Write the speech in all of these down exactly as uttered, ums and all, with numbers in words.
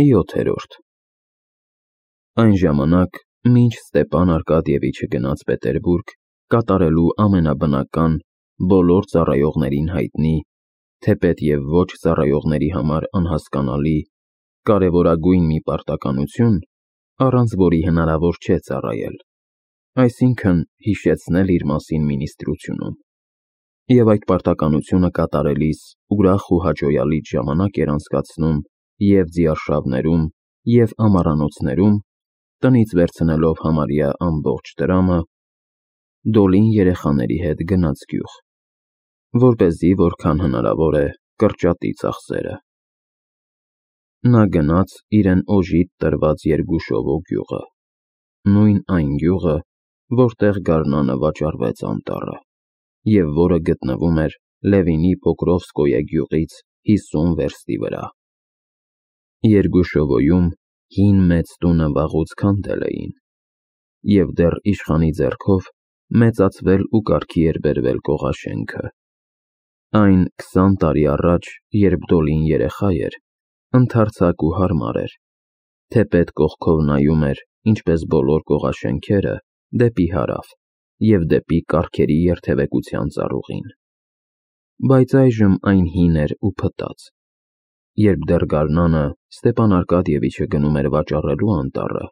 յոթերորդ Այն ժամանակ, մինչ Ստեպան Արկադիևիչը գնաց Պետերբուրգ, կատարելու ամենաբնական, բոլոր ծառայողներին հայտնի, թեպետ և ոչ ծառայողների համար անհասկանալի, կարևորագույն մի պարտականություն, առանց որի հնարավոր չէ ծառայել, այսինքն՝ հիշեցնել իր մասին մինիստրությունում, և այդ պարտականությունը կատարելիս ուրախ ու հաճոյալից ժամանակ էր անցկացնում և ձիարշավներում, և ամառանոցներում, տնից վերցնելով համարյա ամբողջ տրամը, Դոլին երեխաների հետ գնաց գյուղ, որպեսզի որքան հնարավոր է կրճատի ծախսերը: Նա գնաց իրեն օժիտ տրված Երգուշովո գյուղը, նույն այն գյուղը, որտեղ գարնանը վաճառվեց անտառը, և որը գտնվում էր Լևինի Պոկրովսկոյե գյուղից հիսուն վերստի վրա: Երգուշովոյում հին մեծ տունը վաղուց քանդել էին, և դեռ իշխանի ձեռքով մեծացվել ու կարգի էր բերվել կողաշենքը: Այն քսան տարի առաջ, երբ Դոլին երեխա էր, ընդարձակ ու հարմար էր, թեպետ կողքով նայում էր, ինչպես բոլոր կողաշենքերը, դեպի հարավ և դեպի կառքերի երթևեկության ծառուղին: Բայց այժմ այն հին էր ու փտած: Երբ դեռ գարնանը Ստեպան Արկադիևիչը գնում էր վաճառելու անտառը,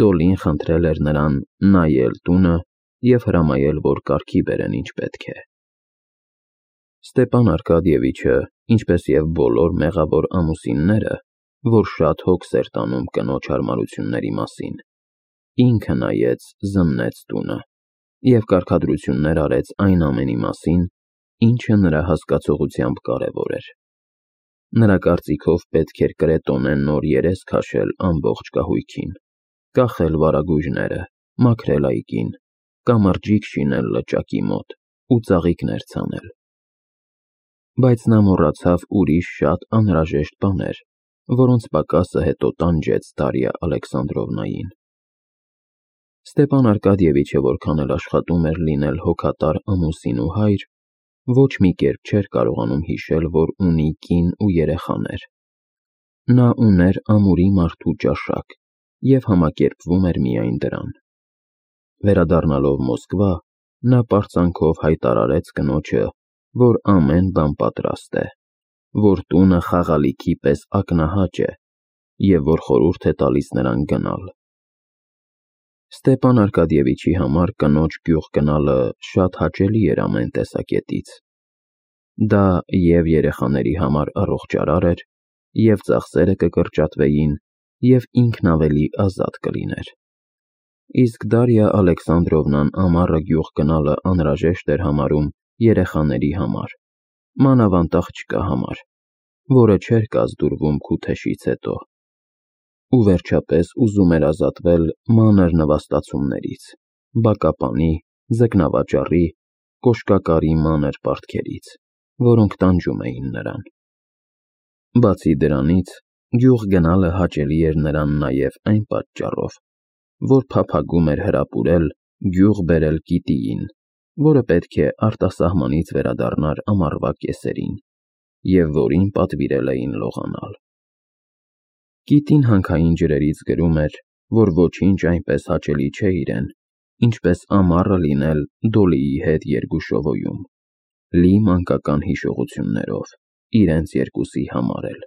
Դոլին խնդրել էր նրան նայել տունը և հրամայել, որ կարգի բերեն ինչ պետք է: Ստեպան Արկադիևիչը, ինչպես և բոլոր մեղավոր ամուսինները, որ շատ հոգս էր տանում կնոջ հարմարությունների մասին, ինքը նայեց, զննեց տունը և կարգադրություններ արեց այն ամենի մասին, ինչը նրա հասկացողությամբ կարևոր էր: Նրա կարծիքով պետք էր կրետոնե նոր երես քաշել ամբողջ կահույքին, կախել վարագույրները, մաքրել այգին, կամրջիկ շինել լճակի մոտ ու ծաղիկներ ցանել: Բայց նա մոռացավ ուրիշ շատ անհրաժեշտ բաներ, որոնց պակասը հետո տանջեց Դարյա Ալեքսանդրովնային: Ստեպան Արկադիևիչը որքան էլ աշխատում էր լինել հոգատար ամուսին ու հայր, ոչ մի կերպ չէր կարողանում հիշել, որ ունի կին ու երեխաներ: Նա ուներ ամուրի մարդու ճաշակ և համակերպվում էր միայն դրան: Վերադառնալով Մոսկվա, նա պարծանքով հայտարարեց կնոջը, որ ամեն բան պատրաստ է, որ տունը խաղալիքի պես ակնահաճ է և որ խորհուրդ է տալիս նրան գնալ: Ստեպան Արկադիևիչի համար կնոջ գյուղ գնալը շատ հաճելի էր ամեն տեսակետից: Դա և երեխաների համար առողջարար էր, և ծախսերը կկրճատվեին, և ինքն ավելի ազատ կլիներ: Իսկ Դարյա Ալեքսանդրովնան ամառը գյուղ գնալը անհրաժեշտ էր համարում երեխաների համար, մանավանդ աղջկա համար, որը չէր կազդուրվում քութեշից հետո: Ու վերջապես ուզում էր ազատվել մանր նվաստացումներից, բակապանի, ձկնավաճառի, կոշկակարի մանր պարտքերից, որոնք տանջում էին նրան: Բացի դրանից, գյուղ գնալը հաճելի էր նրան նաև այն պատճառով, որ փափագում էր հրապուրել գյուղ բերել Կիտիին, որը պետք է արտասահմանից վերադառնար ամառվա կեսերին և որին պատվիրել էին լողանալ: Կիտին հանքային ջրերից գրում էր, որ ոչինչ այնպես հաճելի չէ իրեն, ինչպես ամառը լինել Դոլիի հետ Երգուշովոյում, լի մանկական հիշողություններով, իրենց երկուսի համար էլ: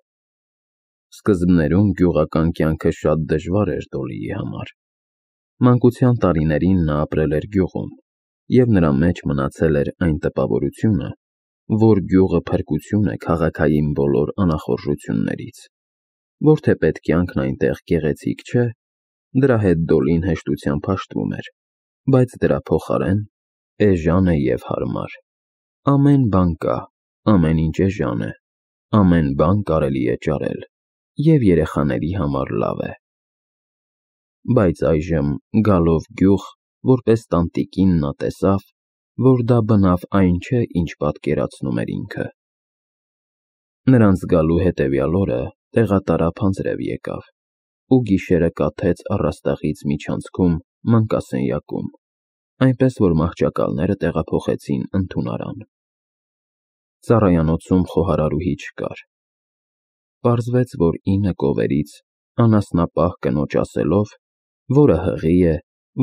Սկզբներում գյուղական կյանքը շատ դժվար էր Դոլիի համար: Մանկության տարիներին նա ապրել էր գյուղում, և նրա մեջ մնացել էր այն տպավորությունը, որ գյուղը փրկություն է քաղաքային բոլոր անախորժություններից, որ թեպետ կյանքն այնտեղ գեղեցիկ չէ, դրա հետ Դոլին հեշտությամբ հաշտվում էր, բայց դրա փոխարեն էժան է և հարմար: Ամեն բան կա, ամեն ինչ էժան է, ամեն բան կարելի է ճարել, և երեխաների համար լավ է: Բայց այժմ, գալով գյուղ, որպես տանտիկին նա տեսավ, որ դա բնավ այն չէ, ինչ պատկերացնում էր ինքը: Նրանց գալու հետևյալ օրը տեղատարափ անձրև եկավ ու գիշերը կաթեց առաստաղից միջանցքում մանկասենյակում, այնպես որ մահճակալները տեղափոխեցին ընդունարան: Ծառայանոցում խոհարարուհի չկար: Պարզվեց, որ ինը կովերից անասնապահ կնոջ ասելով, որը հղի է,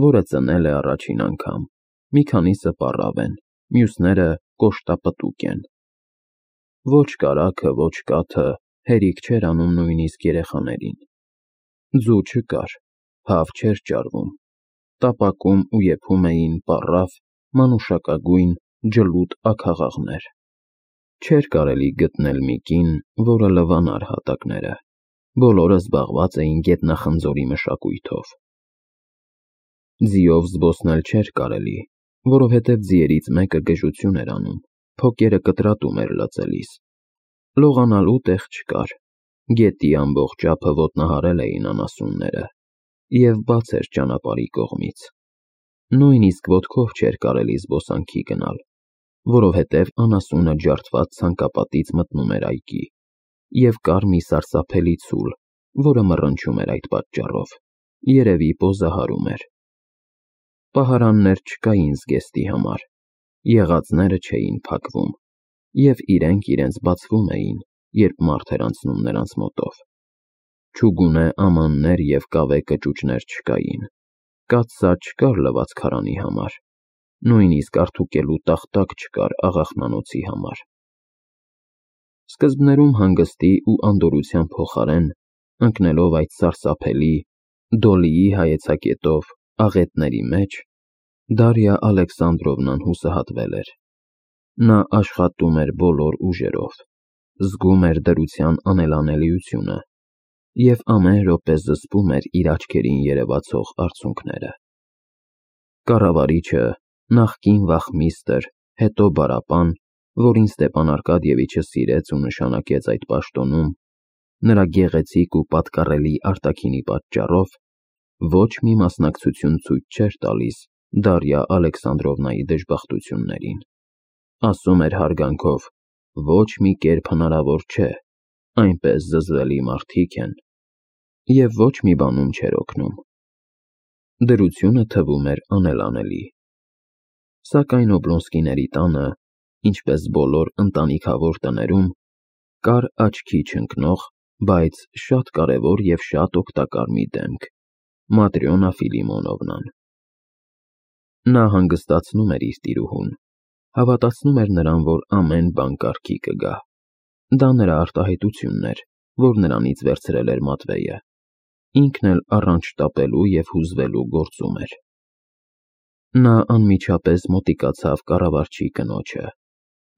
որը ծնել է առաջին անգամ, մի քանիսը պառավ են, մյուսները կոշտապտուկ են։ Ոչ կարագը, ոչ կաթը հերիք չէր անում նույնիսկ երեխաներին։ Ձու չկար, հավ չէր ճարվում, տապակում ու եփում էին պառավ, մանուշակագույն, ջլուտ աքաղաղներ։ Չէր կարելի գտնել մի կին, որը լվանար հատակները, բոլորը զբաղված էին գետնախնձորի մշակույթով։ Ձիով զբոսնել չէր կարելի, որովհետև ձիերից մեկը գժություն էր անում, փոկերը կտրատում էր լծելիս։ Լողանալու տեղ չկար, գետի ամբողջ ափը ոտնահարել էին անասունները, և բաց էր ճանապարհի կողմից։ Նույնիսկ ոտքով չէր կարելի զբոսանքի գնալ, որովհետև անասունը ջարդված ցանկապատից մտնում էր այգի, և կար մի սարսափելի ցուլ, որը մռնչում էր այդ պատճառով, երևի պոզահարում էր։ Պահարաններ չկային զգեստի համար, եղածները չէին փակվում, և իրենք իրենց բացվում էին, երբ մարդ էր անցնում նրանց մոտով։ Չուգունե ամաններ և կավե կճուճներ չկային, կաթսա չկար լվացք քարանի համար, նույնիսկ արդուկելու տախտակ չկար աղախնանոցի համար։ Սկզբներում հանգստի ու անդորրության փոխարեն, ընկնելով այդ սարսափելի, Դոլիի հայեցակետով աղետների մեջ, Դարիա Ալեքսանդրովնան հուսահատվել էր։ Նա աշխատում էր բոլոր ուժերով, զգում էր դրության անելանելիությունը և ամեն րոպե զսպում էր իր աչքերին երևացող արցունքները։ Կառավարիչը, նախկին վախմիստր, հետո բարապան, որին Ստեփան Արկադիևիչը սիրեց ու նշանակեց այդ պաշտոնում, նրա գեղեցիկ ու պատկառելի արտաքինի պատճառով, ոչ մի մասնակցություն ցույց չէր տալիս Դարիա Ալեքսանդրովնայի դժբախտություններին։ Ասում էր հարգանքով. ոչ մի կերպ հնարավոր չէ, այնպես զզվելի մարդիկ են, և ոչ մի բանում չէր օգնում։ Դրությունը թվում էր անելանելի։ Սակայն Օբլոնսկիների տանը, ինչպես բոլոր ընտանիքավոր տներում, կար աչքի չընկնող, բայց շատ կարևոր և շատ օգտակար մի դեմք՝ Матрյոնա Ֆիլիմոնովնան։ Նա հանգստացնում էր իր տիրուհուն, հավատացնում էր նրան, որ ամեն բան կարգի կգա։ Դա նրա արտահայտությունն էր, որ նրանից վերցրել էր Մատվեյը, ինքն էլ առանց շտապելու և հուզվելու գործում էր։ Նա անմիջապես մոտիկացավ կառավարչի կնոջը,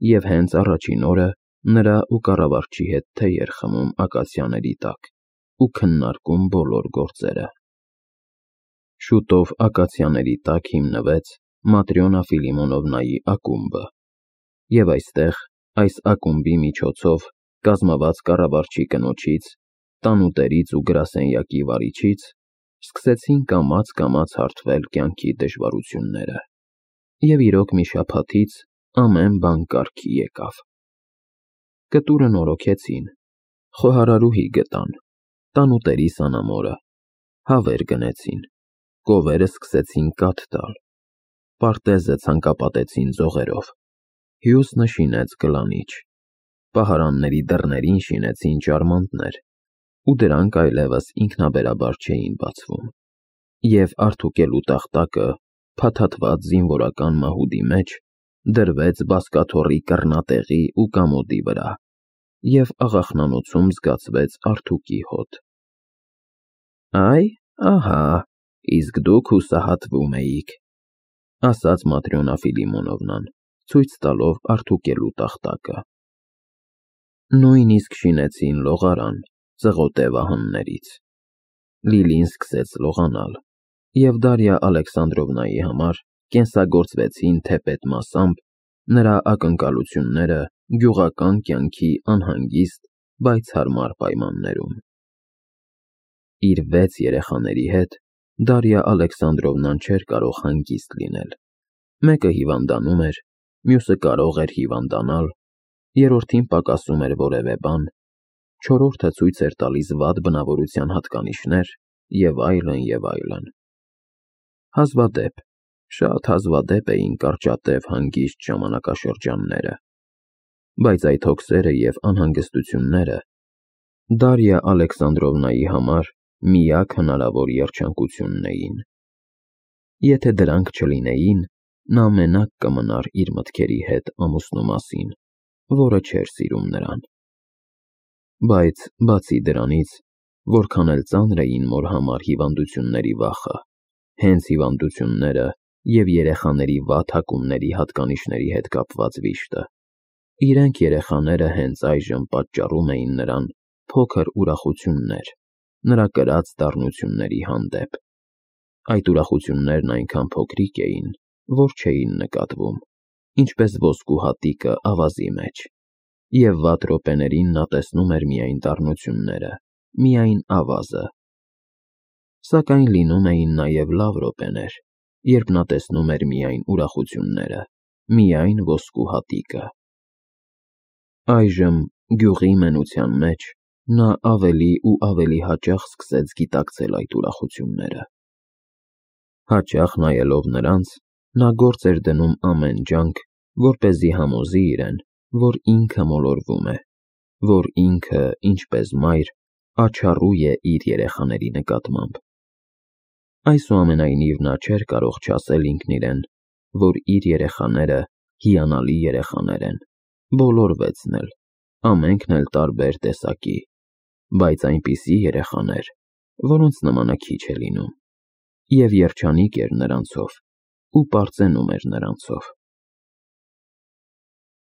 և հենց առաջին օրը նրա ու կառավարչի հետ թեյ էր խմում ակացիաների տակ ու քննարկում բոլոր գործերը։ Շուտով ակացիաների տակ հիմնվեց Матрյոնա Ֆիլիմոնովնայի ակումբը, և այստեղ, այս ակումբի միջոցով, կազմված կառավարչի կնոջից, տանուտերից ու գրասենյակի վարիչից, սկսեցին կամաց-կամաց հարթվել կյանքի դժվարությունները, և իրոք մի շաբաթից ամեն բան կարգի եկավ։ Կտուրը նորոգեցին, խոհարարուհի գտան, տանուտերի սանամորը, հավեր գնեցին, կովերը սկսեցին կաթ տալ, պարտեզը ցանկապատեցին ձողերով, հյուսնը շինեց կլանիչ, պահարանների դռներին շինեցին ճարմանտներ, ու դրանք այլևս ինքնաբերաբար չէին բացվում, և արդուկելու տախտակը, փաթաթված զինվորական մահուդի մեջ, դրվեց բազկաթոռի կռնատեղի ու կամոդի վրա, և աղախնանոցում զգացվեց արդուկի հոտ։ Այ, ահա, իսկ դուք հուսահատվում էիք, ասաց Матрյոնա Ֆիլիմոնովնան, ցույց տալով արդուկելու տախտակը։ Նույնիսկ շինեցին լողարան ծղոտե վահաններից։ Լիլին սկսեց լողանալ, և Դարիա Ալեքսանդրովնայի համար կենսագործվեցին թեպետ մասամբ նրա ակնկալությունները գյուղական կյանքի անհանգիստ, բայց հարմար պայմաններում։ Իր վեց երեխաների հետ Դարիա Ալեքսանդրովնան չէր կարող հանգիստ լինել։ Մեկը հիվանդանում էր, մյուսը կարող էր հիվանդանալ, երրորդին պակասում էր որևէ բան, չորրորդը ցույց էր տալիս վատ բնավորության հատկանիշներ, և այլն, և այլն։ Հազվադեպ, շատ հազվադեպ էին կարճատև հանգիստ ժամանակաշրջանները, բայց այդ հոգսերը և անհանգստությունները Դարիա Ալեքսանդրովնայի համար միակ հնարավոր երջանկությունն էին։ Եթե դրանք չլինեին, նա մենակ կմնար իր մտքերի հետ ամուսնու մասին, որը չէր սիրում նրան։ Բայց բացի դրանից, որքան էլ ծանր էին մոր համար հիվանդությունների վախը, հենց հիվանդությունները և երեխաների վատ հակումների հատկանիշների հետ կապված վիշտը, իրենք երեխաները հենց այժմ պատճառում էին նրան փոքր ուրախություններ նրա կրած դառնությունների հանդեպ։ Այդ ուրախություններն այնքան փոքրիկ էին, որ չէին նկատվում, ինչպես ոսկու հատիկը ավազի մեջ, և վատ րոպեներին նա տեսնում էր միայն դառնությունները, միայն ավազը։ Սակայն լինում էին նաև լավ րոպեներ, երբ նա տեսնում էր միայն ուրախությունները, միայն ոսկու հատիկը։ Այժմ, գյուղի մենության մեջ, նա ավելի ու ավելի հաճախ սկսեց գիտակցել այդ ուրախությունները։ Հաճախ նայելով նրանց, նա գործ էր դնում ամեն ջանք, որպեսզի համոզի իրեն, որ ինքը մոլորվում է, որ ինքը, ինչպես մայր, աչառու է իր երեխաների նկատմամբ։ Այսուամենայնիվ նա չէր կարող չասել ինքն իրեն, որ իր երեխաները հիանալի երեխաներ են, բոլոր վեցն էլ, ամենքն էլ տարբեր տեսակի, բայց այնպիսի երեխաներ, որոնց նմանը քիչ է լինում, և երջանիկ էր նրանցով ու պարծենում էր նրանցով։